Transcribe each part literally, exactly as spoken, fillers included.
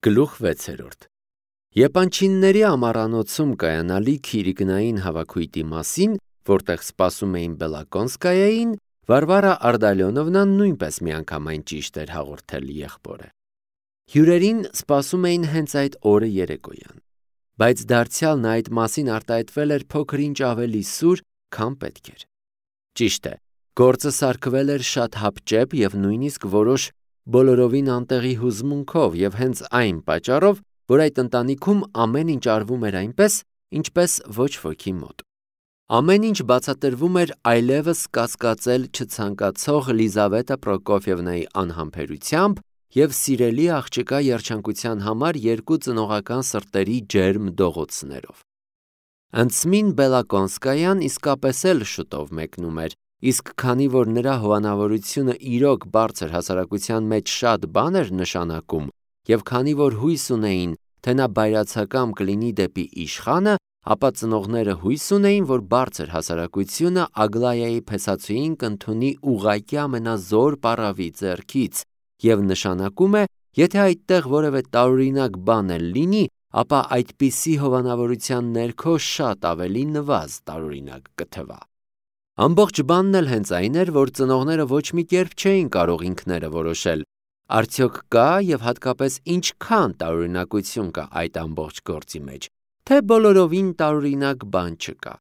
Գլուխ վեցերորդ Եպանչինների ամառանոցում կայանալիք իրիկնային հավաքույտի մասին, որտեղ սպասում էին Բելակոնսկայային, Վարվարա Արդալյոնովնան նույնպես միանգամայն ճիշտ էր հաղորդել եղբորը։ Հյուրերին սպասում էին հենց այդ օրը երեկոյան, բայց դարձյալ նա այդ մասին արտահայտվել էր փոքր-ինչ ավելի սուր, քան պետք էր։ Ճիշտ է, գործը սարքվել էր շատ հապճեպ և նույնիսկ որոշ բոլորովին անտեղի հուզմունքով և հենց այն պատճառով, որ այդ ընտանիքում ամեն ինչ արվում էր այնպես, ինչպես ոչ ոքի մոտ։ Ամեն ինչ բացատրվում էր այլևս կասկածել չցանկացող Լիզավետա Պրոկոֆիևնայի անհամբերությամբ և սիրելի աղջկա երջանկության համար երկու ծնողական սրտերի ջերմ դողոցներով։ Անցմին Բելակոնսկայան իսկապես էլ շուտով մեկնում էր, իսկ քանի որ նրա հովանավորությունը իրոք բարձր հասարակության մեջ շատ բան էր նշանակում, և քանի որ հույս ունեին, թե նա բայրացակամ կլինի դեպի իշխանը, ապա ծնողները հույս ունեին, որ բարձր հասարակությունը Ագլայայի փեսացուին կընդունի ուղղակի ամենազոր պառավի ձեռքից, և նշանակում է, եթե այդտեղ որևէ տարօրինակ բան էլ լինի, ապա այդպիսի հովանավորության ներքո շատ ավելի նվազ տարօրինակ կթվա։ Ամբողջ բանն էլ հենց այն էր, որ ծնողները ոչ մի կերպ չէին կարող ինքները որոշել, արդյոք կա և հատկապես ինչքան տարօրինակություն կա այդ ամբողջ գործի մեջ, թե բոլորովին տարօրինակ բան չկա։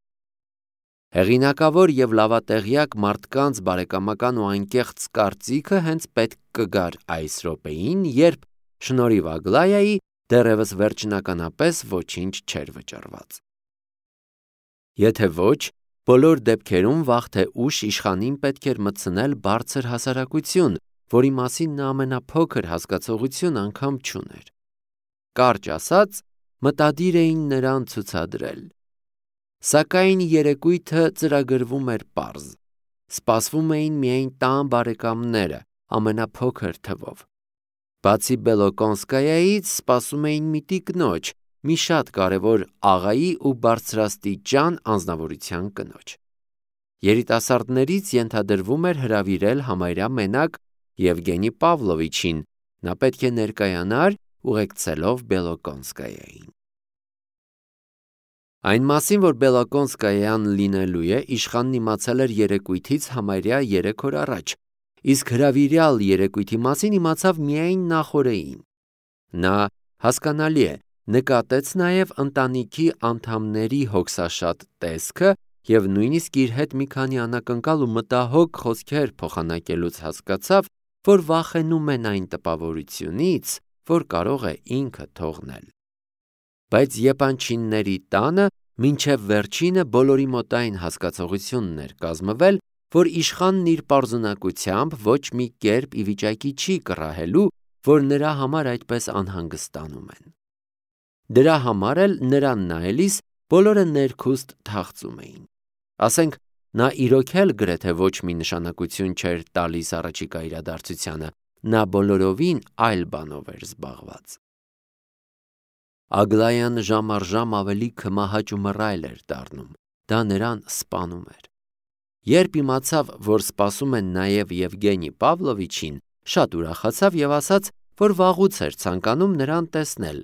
Հեղինակավոր և լավատեղյակ մարդկանց բարեկամական ու անկեղծ կարծիքը հենց պետք կգար այս րոպեին, երբ, շնորհիվ Ագլայայի, դեռևս վերջնականապես ոչինչ չէր վճռված։ Եթե ոչ, բոլոր դեպքերում վաղ թե ուշ իշխանին պետք էր մտցնել բարձր հասարակություն, որի մասին նա ամենափոքր հասկացողություն անգամ չուներ։ Կարճ ասած, մտադիր էին նրան ցուցադրել։ Սակայն երեկույթը ծրագրվում էր պարզ։ Սպասվում էին միայն տան բարեկամները, ամենափոքր թվով։ Բացի Բելոկոնսկայայից սպասում էին մի տիկնոջ, մի շատ կարևոր աղայի ու բարձրաստիճան անձնավորության կնոջ։ Երիտասարդներից ենթադրվում էր հրավիրել համարյա մենակ Եվգենի Պավլովիչին, նա պետք է ներկայանար ուղեկցելով Բելոկոնսկայային։ Այն մասին, որ Բելոկոնսկայան լինելու է, իշխանն իմացել էր երեկույթից համարյա երեք օր առաջ, իսկ հրավիրյալ երեկույթի մասին իմացավ միայն նախօրեին։ Նա, հասկանալի է, նկատեց նաև ընտանիքի անդամների հոգսաշատ տեսքը և նույնիսկ իր հետ մի քանի անակնկալ ու մտահոգ խոսքեր փոխանակելուց հասկացավ, որ վախենում են այն տպավորությունից, որ կարող է ինքը թողնել։ Բայց Եպանչինների տանը մինչև վերջինը բոլորի մոտ այն հասկացողությունն էր կազմվել, որ իշխանն իր պարզունակությամբ ոչ մի կերպ ի վիճակի չի կռահելու, որ նրա համար այդպես անհանգստանում են։ Դրա համար էլ նրան նայելիս բոլորը ներքուստ թախծում էին։ Ասենք, նա իրոք էլ գրեթե ոչ մի նշանակություն չէր տալիս առաջիկա իրադարձությանը, նա բոլորովին այլ բանով էր զբաղված։ Ագլայան ժամ առ ժամ ավելի քմահաճ ու մռայլ էր դառնում, դա նրան սպանում էր։ Երբ իմացավ, որ սպասում են նաև Եվգենի Պավլովիչին, շատ ուրախացավ և ասաց, որ վաղուց էր ցանկանում նրան տեսնել։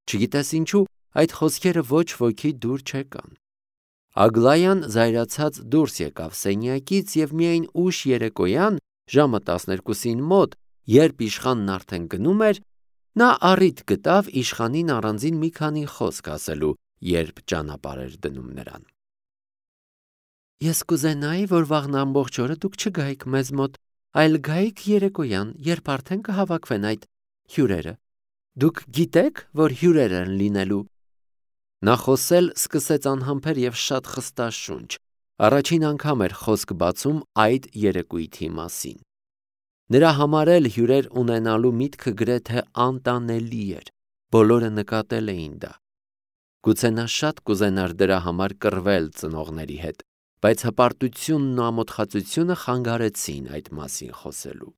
Չգիտես ինչու, այդ խոսքերը ոչ ոքի դուր չեկան։ Ագլայան զայրացած դուրս եկավ սենյակից և միայն ուշ երեկոյան, ժամը տասներկուսին մոտ, երբ իշխանն արդեն գնում էր, նա առիթ գտավ իշխանին առանձին մի քանի խոսք ասելու, երբ ճանապարհ էր դնում նրան։ Ես կուզենայի, որ վաղն ամբողջ օրը դուք չգայիք մեզ մոտ, այլ գայիք երեկոյան, երբ արդեն կհավաքվեն այդ հյուրերը։ Դուք գիտեք, որ հյուրեր են լինելու։ Նա խոսել սկսեց անհամբեր և շատ խստաշունչ։ Առաջին անգամ էր խոսք բացում այդ երեկույթի մասին։ Նրա համար էլ հյուրեր ունենալու միտքը գրեթե անտանելի էր։ Բոլորը նկատել էին դա։ Գուցե նա շատ կուզենար դրա համար կռվել ծնողների հետ, բայց հպարտությունն ու ամոթխածությունը խանգարեցին այդ մասին խոսելու։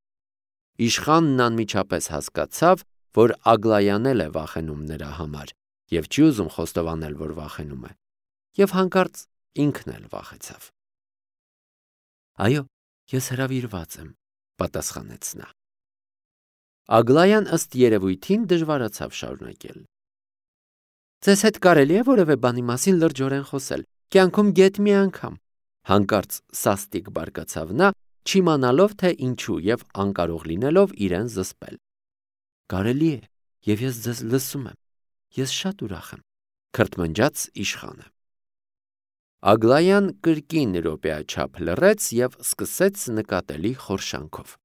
Իշխանն անմիջապես հասկացավ, որ Ագլայան էլ է վախենում նրա համար և չի ուզում խոստովանել, որ վախենում է, և հանկարծ ինքն էլ վախեցավ։ Այո, ես հրավիրված եմ, պատասխանեց նա։ Ագլայան ըստ երևույթին դժվարացավ շարունակել. Ձեզ հետ կարելի է որևէ բանի մասին լրջորեն խոսել, կյանքում գեթ մի անգամ, հանկարծ սաստիկ բարկացավ նա, չիմանալով թե ինչու եւ անկարող լինելով իրեն զսպել. Կարելի է, եւ ես ձեզ լսում եմ, ես շատ ուրախ եմ, քրթմնջաց իշխանը։ Ագլայան կրկին րոպեաչափ լռեց եւ սկսեց նկատելի խորշանքով.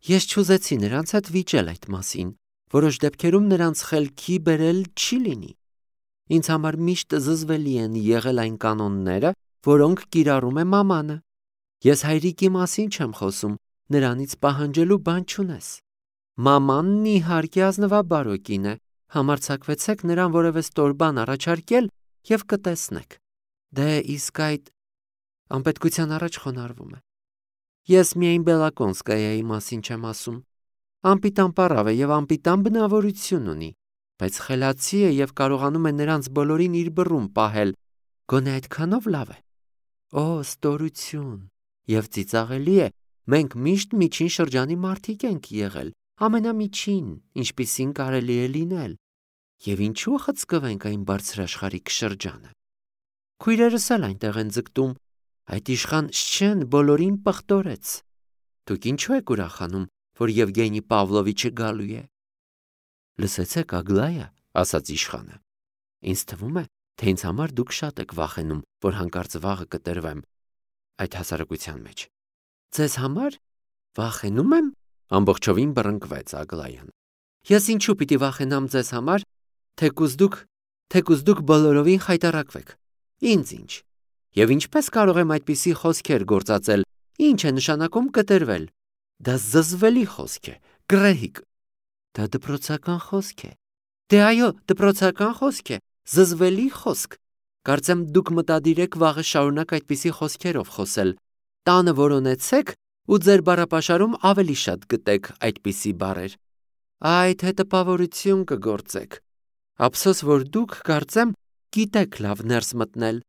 Ես չուզեցի նրանց հետ վիճել այդ մասին, որոշ դեպքերում նրանց խելքի բերել չի լինի։ Ինձ համար միշտ զզվելի են եղել այն կանոնները, որոնք կիրառում է մամանը։ Ես հայրիկի մասին չեմ խոսում, նրանից պահանջելու բան չունես։ Մամանն իհարկե ազնվաբարո կին է, համարձակվեցեք նրան որևէ ստոր բան առաջարկել եւ կտեսնեք։ Դե իսկ այդ անպետքության առաջ խոնարհվում է։ Ես միայն Բելակոնսկայայի մասին չեմ ասում։ Անպիտան պարավ է եւ անպիտան բնավորություն ունի, բայց խելացի է եւ կարողանում է նրանց բոլորին իր բռում պահել, գոնե այդքանով լավ է։ Օ, ստորություն։ Եվ ծիծաղելի է, մենք միշտ միջին շրջանի մարդիկ ենք եղել, ամենամիջին, ինչպիսին կարելի է լինել։ Եվ ինչու խցկվենք այն բարձրաշխարհիկ շրջանը։ Քույրերս էլ այնտեղ են ձգտում, այդ իշխան Շչեն բոլորին պղտորեց։ Դուք ինչու եք ուրախանում, որ Եվգենի Պավլովիչը գալու է։ Լսեցեք, Ագլայա, ասաց իշխանը։ Ինձ թվում է, թե ինձ համար դուք շատ եք վախենում, որ հանկարծ վաղը կտրվեմ այդ հասարակության մեջ։ Ձեզ համար վախենում եմ, ամբողջովին բռնկվեց Ագլայան։ Ես ինչու պիտի վախենամ ձեզ համար, թեկուզ դուք, թեկուզ դուք բոլորովին խայտառակվեք։ Ինձ ինչ։ Եվ ինչպես կարող եմ այդպիսի խոսքեր գործածել, ինչ է նշանակում կտրվել։ Դա զզվելի խոսք է, գրեհիկ։ Դա դպրոցական խոսք է։ Դե այո, դպրոցական խոսք է, զզվելի խոսք։ Կարծեմ դուք մտադիր եք վաղը շարունակ այդպիսի խոսքերով խոսել։ Տանը որոնեցեք ու ձեր բառապաշարում ավելի շատ գտեք այդպիսի բառեր։ Այդ հետապավորություն կգործեք։ Ափսոս, որ դուք կարծեմ գիտեք լավ ներս մտնել։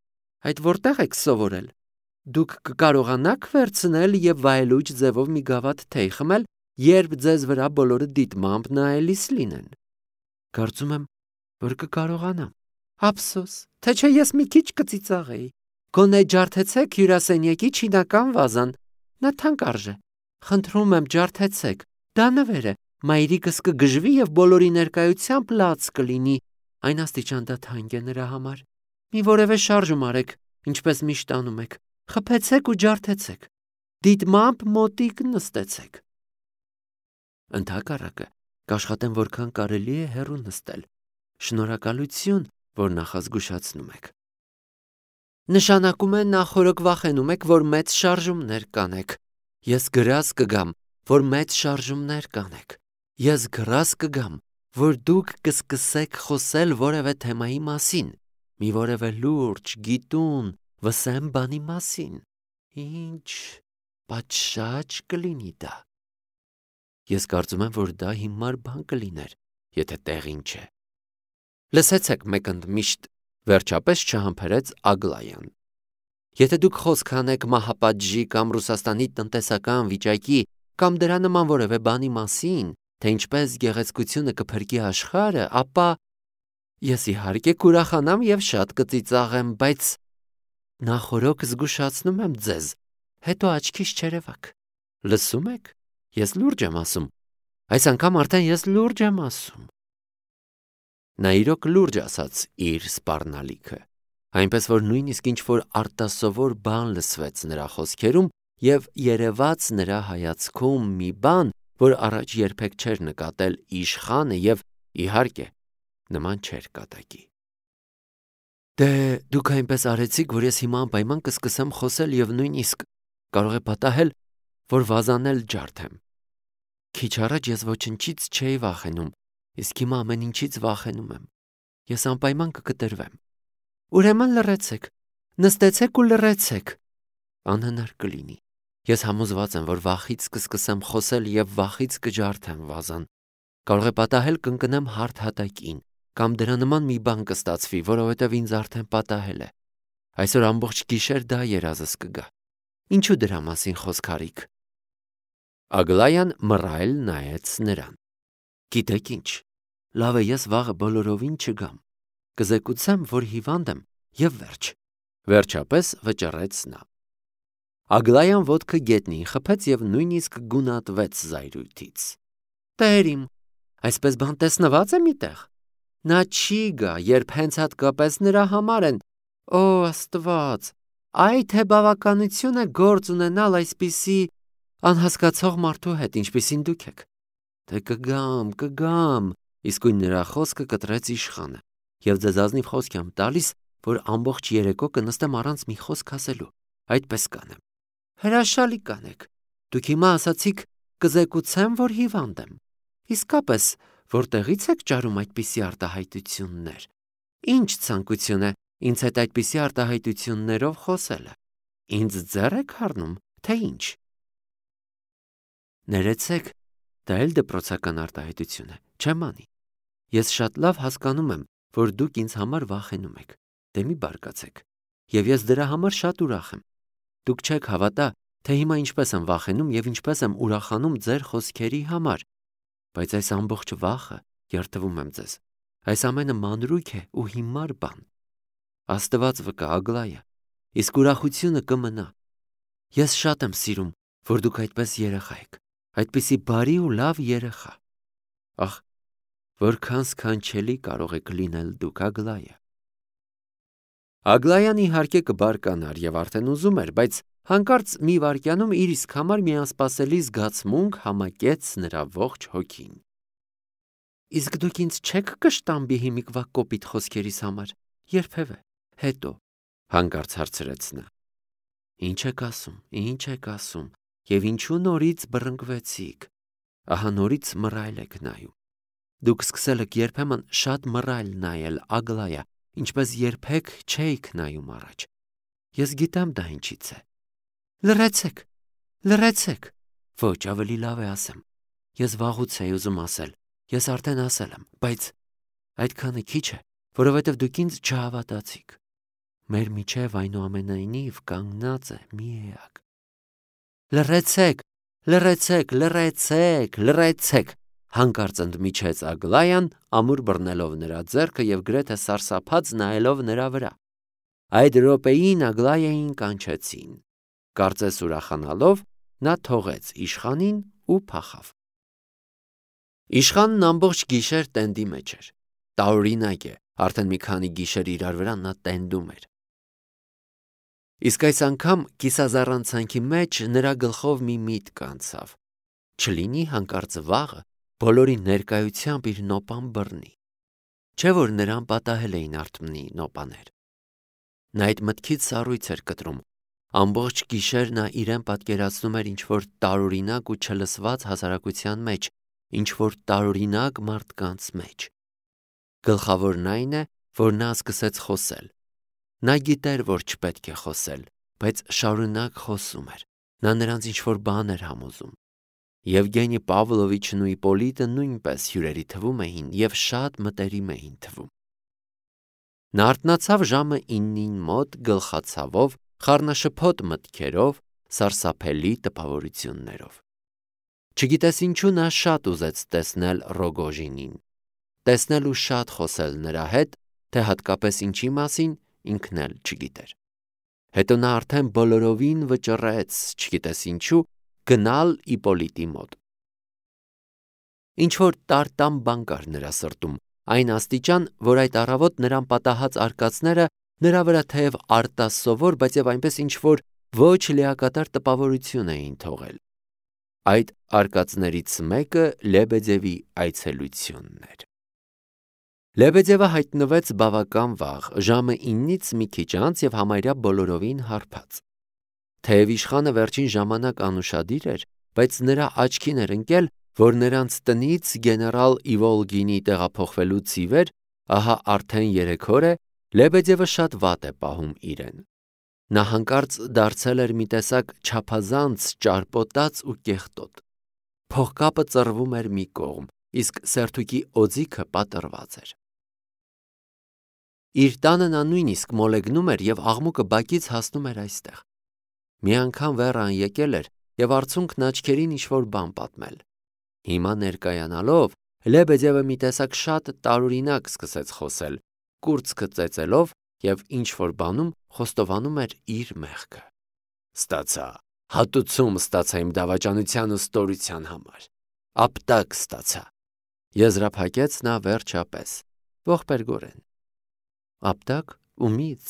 Այդ որտեղ եք սովորել։ Դուք կկարողանաք վերցնել եւ վայելուչ ձևով մի գավաթ թեյ խմել, երբ ձեզ վրա բոլորը դիտմամբ նայելիս լինեն։ Կարծում եմ, որ կկարողանամ։ Ափսոս, թե չէ ես մի քիչ կծիծաղեի։ Գոնե ջարդեցեք հյուրասենյակի չինական վազան։ Նա թանկ արժե։ Խնդրում եմ, ջարդեցեք։ Դա նվեր է։ Մայրիկս կգժվի եւ բոլորի ներկայությամբ լաց կլինի։ Այն աստիճան դա թանկ է նրա համար։ Մի որևէ շարժում արեք, ինչպես միշտ անում եք։ Խփեցեք ու ջարդեցեք։ Դիտմամբ մոտիկ նստեցեք։ Ընդհակառակը, կաշխատեմ որքան կարելի է հեռու նստել։ Շնորհակալություն, որ նախազգուշացնում եք։ Նշանակում է նախորոք վախենում եք, որ մեծ շարժումներ կանեք։ Ես գրազ կգամ, որ մեծ շարժումներ կանեք։ Ես գրազ կգամ, որ դուք կսկսեք խոսել որևէ թեմայի մասին, մի որևէ լուրջ, գիտուն, վսեմ բանի մասին։ Ինչ պատշաճ կլինի դա։ Ես կարծում եմ, որ դա հիմար բան կլիներ, եթե տեղին չէ։ Լսեցեք մեկընդմիշտ, վերջապես չհամբերեց Ագլայան։ Եթե դուք խոսք անեք Մահապադժի կամ Ռուսաստանի տնտեսական վիճակի կամ դրա նման որևէ բանի մասին, թե ինչպես գեղեցկությունը կփրկի աշխարհը, ապա ես իհարկե կուրախանամ եւ շատ կծիծաղեմ, բայց նախորոք զգուշացնում եմ ձեզ, հետո աչքիս չերևաք։ Լսում եք։ Ես լուրջ եմ ասում։ Այս անգամ արդեն ես լուրջ եմ ասում։ Նա իրոք լուրջ ասաց իր սպառնալիքը, այնպես որ նույնիսկ ինչ որ արտասովոր բան լսվեց նրա խոսքերում եւ երևաց նրա հայացքում մի բան, որ առաջ երբեք չէր նկատել իշխանը եւ իհարկե նման չէր կատակի։ Դե դուք այնպես արեցիք, որ ես հիմա անպայման կսկսեմ խոսել եւ նույնիսկ կարող է պատահել, որ վազանել ջարդեմ։ Քիչ առաջ ես ոչնչից չէի վախենում, իսկ հիմա ամեն ինչից վախենում եմ։ Ես անպայման կկտրվեմ։ Ուրեմն լռեցեք, նստեցեք ու լռեցեք։ Անհնար կլինի։ Ես համոզված եմ, որ վախից կսկսեմ խոսել եւ վախից կջարդեմ վազան։ Կարող է պատահել կընկնեմ հարթ հատակին, կամ դրա նման մի բան կստացվի, որովհետեւ ինձ արդեն պատահել է։ Այսօր ամբողջ գիշեր դա երազս կգա։ Ինչու դրա մասին խոսք արիք։ Ագլայան մռայլ նայեց նրան։ Գիտեք ինչ, լավ է ես վաղը բոլորովին չգամ, կզեկուցեմ, որ հիվանդ եմ և վերջ, վերջապես վճռեց նա։ Ագլայան ոտքը գետնին խփեց և նույնիսկ գունատվեց զայրույթից։ Տեր իմ, այսպես բան տեսնված է միտեղ։ Նա չի գա, երբ հենց հատկապես նրա համար են, օ Աստված, այ թե բավականություն է գործ ունենալ այսպիսի անհասկացող մարդու հետ, ինչպիսին դուք եք։ Թե կգամ, կգամ, իսկույն նրա խոսքը կտրեց իշխանը, և ձեզ ազնիվ խոսք եմ տալիս, որ ամբողջ երեկո կնստեմ առանց մի խոսք ասելու, այդպես կանեմ։ Հրաշալի կանեք, դուք հիմա ասացիք կզեկուցեմ, որ հիվանդ եմ։ Իսկապես, որտեղից եք ճարում այդպիսի արտահայտություններ։ Ինչ ցանկություն է ինձ հետ այդպիսի արտահայտություններով խոսելը։ Ինձ ձեռ եք առնում, թե ինչ։ Ներեցեք, դա էլ դպրոցական արտահայտություն է, չեմ անի։ Ես շատ լավ հասկանում եմ, որ դուք ինձ համար վախենում եք, դե մի բարկացեք, և ես դրա համար շատ ուրախ եմ։ Դուք չեք հավատա, թե հիմա ինչպես եմ վախենում և ինչպես եմ ուրախանում ձեր խոսքերի համար, բայց այս ամբողջ վախը, երդվում եմ ձեզ, այս ամենը մանրույք է ու հիմար բան։ Աստված վկա, Ագլայա, իսկ ուրախությունը կմնա։ Ես շատ եմ սիրում, որ դուք այդպես երեխա եք, այդպիսի բարի ու լավ երեխա։ Ախ, որքան սքանչելի կարող եք լինել դուք, Ագլայա։ Ագլայան իհարկե կբարկանար և արդեն ուզում էր, բայց հանկարծ մի վայրկյանում իր իսկ համար մի անսպասելի զգացմունք համակեց նրա ողջ հոգին։ Իսկ դուք ինձ չեք կշտամբի հիմիկվա կոպիտ խոսքերիս համար, երբևէ, հետո, հանկարծ հարցրեց նա։ Ինչ եք ասում, ինչ եք ասում, և ինչու նորից բռնկվեցիք, ահա նորից մռայլ եք նայում։ Դուք սկսել եք երբեմն շատ մռայլ նայել, Ագլայա, ինչպես երբեք չէիք նայում առաջ։ Ես գիտեմ դա ինչից է։ Լռեցեք, լռեցեք։ Ոչ, ավելի լավ է ասեմ։ Ես վաղուց էի ուզում ասել, ես արդեն ասել եմ, բայց այդքանը քիչ է, որովհետև դուք ինձ չհավատացիք։ Մեր միջև այնուամենայնիվ կանգնած է մի էակ։ Լռեցեք, լռեցեք, լռեցեք, լռեցեք, հանկարծ ընդմիջեց Ագլայան, ամուր բռնելով նրա ձեռքը և գրեթե սարսափած նայելով նրա վրա։ Այդ րոպեին Ագլայային կանչեցին։ Կարծես ուրախանալով, նա թողեց իշխանին ու փախավ։ Իշխանն ամբողջ գիշեր տենդի մեջ էր։ Տարօրինակ է, արդեն մի քանի գիշեր իրար վրա նա տենդում էր։ Իսկ այս անգամ կիսազառանցանքի մեջ նրա գլխով մի միտք անցավ։ Չլինի հանկարծ վաղը բոլորի ներկայությամբ իր նոպան բռնի։ Չէ՞ որ նրան պատահել էին արթմնի նոպաներ։ Նա այդ մտքից սառույց էր կտրում։ Ամբողջ գիշեր նա իրեն պատկերացնում էր ինչ-որ տարօրինակ ու չլսված հասարակության մեջ, ինչ-որ տարօրինակ մարդկանց մեջ։ Գլխավորն այն է, որ նա սկսեց խոսել։ Նա գիտեր, որ չպետք է խոսել, բայց շարունակ խոսում էր։ Նա նրանց ինչ-որ բան էր համոզում։ Եվգենի Պավլովիչն ու Իպոլիտը նույնպես հյուրերի թվում էին և շատ մտերիմ էին թվում։ Նա արթնացավ ժամը իննին մոտ գլխացավով, խառնաշփոթ մտքերով, սարսափելի տպավորություններով։ Չգիտես ինչու նա շատ ուզեց տեսնել Ռոգոժինին, տեսնել ու շատ խոսել նրա հետ, թե հատկապես ինչի մասին ինքն էլ չգիտեր։ Հետո նա արդեն բոլորովին վճռեց, չգիտես ինչու, գնալ Իպոլիտի մոտ։ Ինչ-որ տարտամ բան կար նրա սրտում, այն աստիճան, որ այդ առավոտ նրան պատահած արկածները նրա վրա թեև արտասովոր, բայց և այնպես ինչ-որ ոչ լիակատար տպավորություն էին թողել։ Այդ արկածներից մեկը Լեբեդևի այցելությունն էր։ Լեբեդևը հայտնվեց բավական վաղ, ժամը իննից մի քիչ անց և համարյա բոլորովին հարբած։ Թեև իշխանը վերջին ժամանակ անուշադիր էր, բայց նրա աչքին էր ընկել, որ նրանց տնից գեներալ Իվոլգինի տեղափոխվելուց ի վեր, ահա արդեն երեք օր է, Լեբեդևը շատ վատ է պահում իրեն։ Նա հանկարծ դարձել էր մի տեսակ չափազանց ճարպոտած ու կեղտոտ։ Փողկապը ծռվում էր մի կողմ, իսկ սերթուկի օձիքը պատռված էր։ Իր տանը նա նույնիսկ մոլեգնում էր և աղմուկը բակից հասնում էր այստեղ։ Մի անգամ վերան եկել էր և արցունքն աչքերին ինչ-որ բան պատմել։ Հիմա ներկայանալով, Լեբեդևը մի տեսակ շատ տարօրինակ սկսեց խոսել, կուրծքը ծեծելով և ինչ-որ բանում խոստովանում էր իր մեղքը։ Ստացա, հատուցում ստացա իմ դավաճանության ու ստորության համար, ապտակ ստացա, եզրափակեց նա վերջապես, ողբերգորեն։ Ապտակ ումից։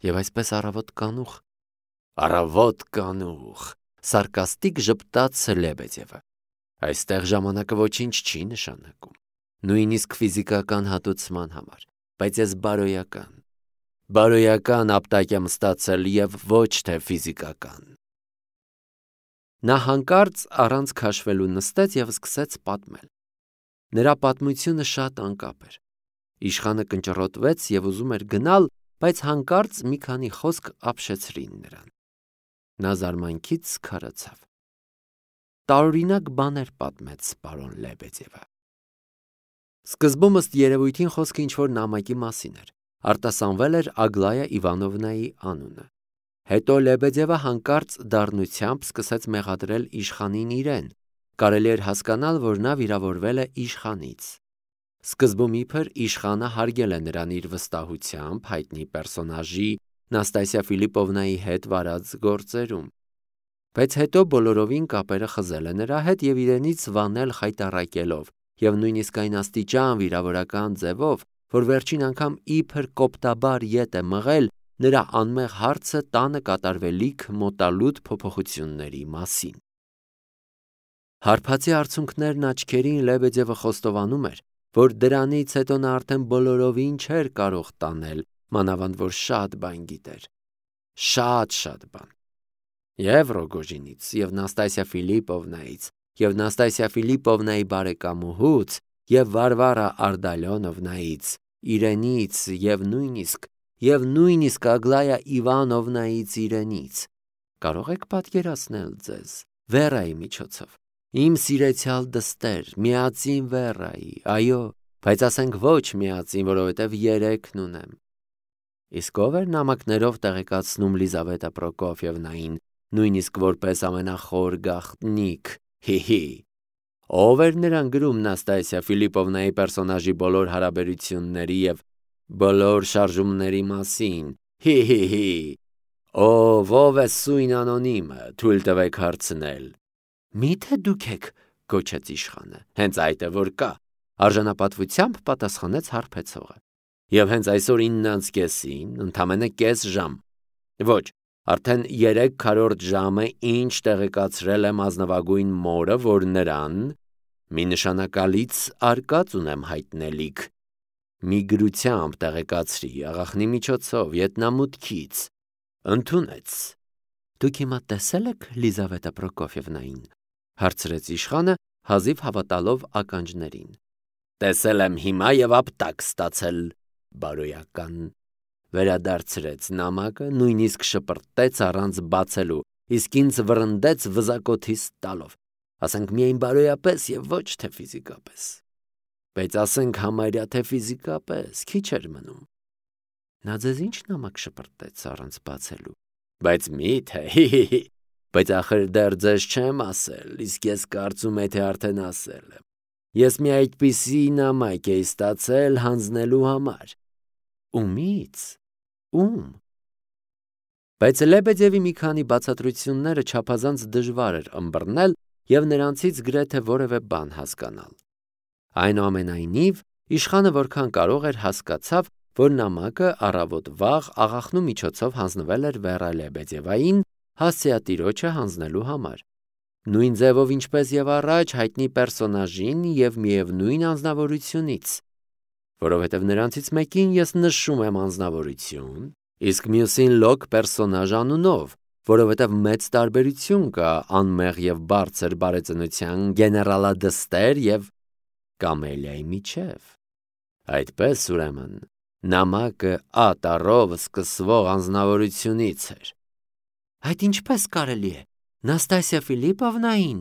Եվ այսպես առավոտ կանուխ։ Առավոտ կանուխ, սարկաստիկ ժպտաց Լեբեդևը։ Այստեղ ժամանակը ոչինչ չի նշանակում, նույնիսկ ֆիզիկական հատուցման համար, բայց ես բարոյական, բարոյական ապտակ եմ ստացել և ոչ թե ֆիզիկական։ Նա հանկարծ առանց քաշվելու նստեց և սկսեց պատմել։ Նրա պատմությունը շատ անկապ էր։ Իշխանը կնճռոտվեց և ուզում էր գնալ, բայց հանկարծ մի քանի խոսք ապշեցրին նրան։ Նա զարմանքից քարացավ։ Տարօրինակ բաներ պատմեց պարոն Լեբեդևը։ Սկզբում ըստ երևույթին խոսքը ինչ-որ նամակի մասին էր, արտասանվել էր Ագլայա Իվանովնայի անունը։ Հետո Լեբեդևը հանկարծ դառնությամբ սկսեց մեղադրել իշխանին իրեն, կարելի էր հասկանալ, որ նա վիրավորվել է իշխանից։ Սկզբում իբր իշխանը հարգել է նրան իր վստահությամբ հայտնի պերսոնաժի Նաստասիա Ֆիլիպովնայի հետ վարած գործերում, բայց հետո բոլորովին կապերը խզել է նրա հետ և իրենից վանել խայտառակելով և նույնիսկ այն աստիճան վիրավորական ձևով, որ վերջին անգամ իբր կոպտաբար ետ է մղել նրա անմեղ հարցը տանը կատարվելիք մոտալուտ փոփոխությունների մասին։ Հարբածի արցունքներն աչքերին Լեբեդևը խոստովանում էր, որ դրանից հետո նա արդեն բոլորովին չէր կարող տանել, մանավանդ որ շատ բան գիտեր, շատ-շատ բան։ Եվ Ռոգոժինից, և Նաստասիա Ֆիլիպովնայից, և Նաստասիա Ֆիլիպովնայի բարեկամուհուց, և Վարվարա Ардալիոնովնայից, իրենից, և նույնիսկ, և նույնիսկ Ագլայա Իվանովնայից իրենից։ Կարող եք պատկերացնել ձեզ Վերայի միջոցով։ Իմ սիրեցյալ դստեր, միածին Վերայի, այո, բայց ասենք ոչ միածին, որովհետև երեքն ունեմ։ Իսկ ով էր նամակներով տեղեկացնում Լիզավետա Պրոկոֆիևնային, նույնիսկ որպես ամենախոր գաղտնիք, հի՛֊հի։ Ով էր նրան գրում Նաստասիա Ֆիլիպովնայի պերսոնաժի բոլոր հարաբերությունների և բոլոր շարժումների մասին, հի՛֊հի՛֊հի։ Ով, ով է սույն անոնիմը, թույլ տվեք հարցնել։ Մի՞թե դուք եք, գոչեց իշխանը։ Հենց այդ է որ կա, արժանապատվությամբ պատասխանեց հարբեցողը։ Եվ հենց այսօր իննանց կեսին, ընդամենը կես ժամ։ Ոչ, արդեն երեք քառորդ ժամ է, ինչ տեղեկացրել եմ ազնվագույն մորը, որ նրան մի նշանակալից արկած ունեմ հայտնելիք։ Մի գրությամբ տեղեկացրի, աղախնի միջոցով, ետնամուտքից, ընդունեց։ Դուք հիմա տեսե՞լ եք Լիզավետա Պրոկոֆիևնային, հարցրեց իշխանը, հազիվ հավատալով ականջներին։ Տեսել եմ հիմա և ապտակ ստացել, բարոյական, վերադարձրեց նամակը, նույնիսկ շպրտեց առանց բացելու, իսկ ինձ վռնդեց վզակոթիս տալով, ասենք միայն բարոյապես և ոչ թե ֆիզիկապես, բայց ասենք համարյա թե ֆիզիկապես, քիչ էր մնում։ Նա ձեզ ինչ նամակ շպրտեց առանց բացելու, բայց մի՞թե, հի՛֊հի՛, բայց ախր դեռ ձեզ չեմ ասել, իսկ ես կարծում եմ, թե արդեն ասել եմ։ Ես մի այդպիսի նամակ էի ստացել հանձնելու համար։ Ումի՞ց, ում։ Բայց Լեբեդևի մի քանի բացատրությունները չափազանց դժվար էր ըմբռնել և նրանցից գրեթե որևէ բան հասկանալ։ Այնուամենայնիվ, իշխանը որքան կարող էր հասկացավ, որ նամակը առավոտ վաղ աղախնու միջոցով հանձնվել էր Վերա Լեբեդևային հասցեատիրոջը հանձնելու համար, նույն ձևով ինչպես և առաջ հայտնի պերսոնաժին և միևնույն անձնավորությունից, որովհետև նրանցից մեկին ես նշում եմ անձնավորություն, իսկ մյուսին լոկ պերսոնաժ անունով, որովհետև մեծ տարբերություն կա անմեղ և բարձր բարեծնության գեներալադստեր և կամելիայի միջև։ Այդպես ուրեմն, նամակը Ա տառով սկսվող անձնավորությունից էր։ Այդ ինչպես կարելի է, Նաստասիա Ֆիլիպովնային,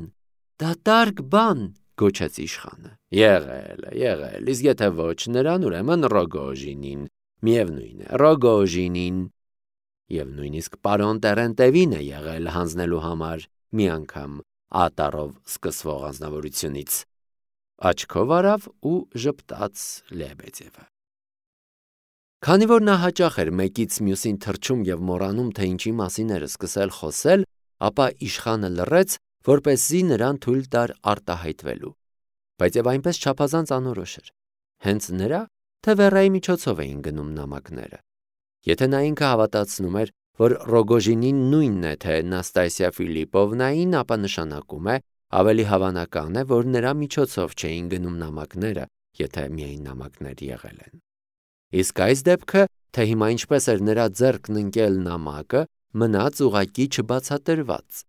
դատարկ բան, գոչեց իշխանը։ Եղել է, եղել, իսկ եթե ոչ նրան, ուրեմն Ռոգոժինին, միևնույն է, Ռոգոժինին, և նույնիսկ պարոն Տերենտևին է եղել հանձնելու համար, մի անգամ ատարով սկսվող անձնավորությունից։ Աչքով արավ ու ժպտաց Լեբեդևը։ Քանի որ նա հաճախ էր մեկից մյուսին թռչում և մոռանում, թե ինչի մասին էր սկսել խոսել, ապա իշխանը լռեց, որպեսզի նրան թույլ տար արտահայտվելու, բայց և այնպես չափազանց անորոշ էր։ Հենց նրա, թե Վերայի միջոցով էին գնում նամակները։ Եթե նա ինքը հավատացնում էր, որ Ռոգոժինին նույնն է, թե Նաստասիա Ֆիլիպովնային, ապա նշանակում է, ավելի հավանական է, որ նրա միջոցով չէին գնում նամակները, եթե միայն նամակներ եղել են։ Իսկ այս դեպքը, թե հիմա ինչպես էր նրա ձեռքն ընկել նամակը, մնաց ուղղակի չբացատրված։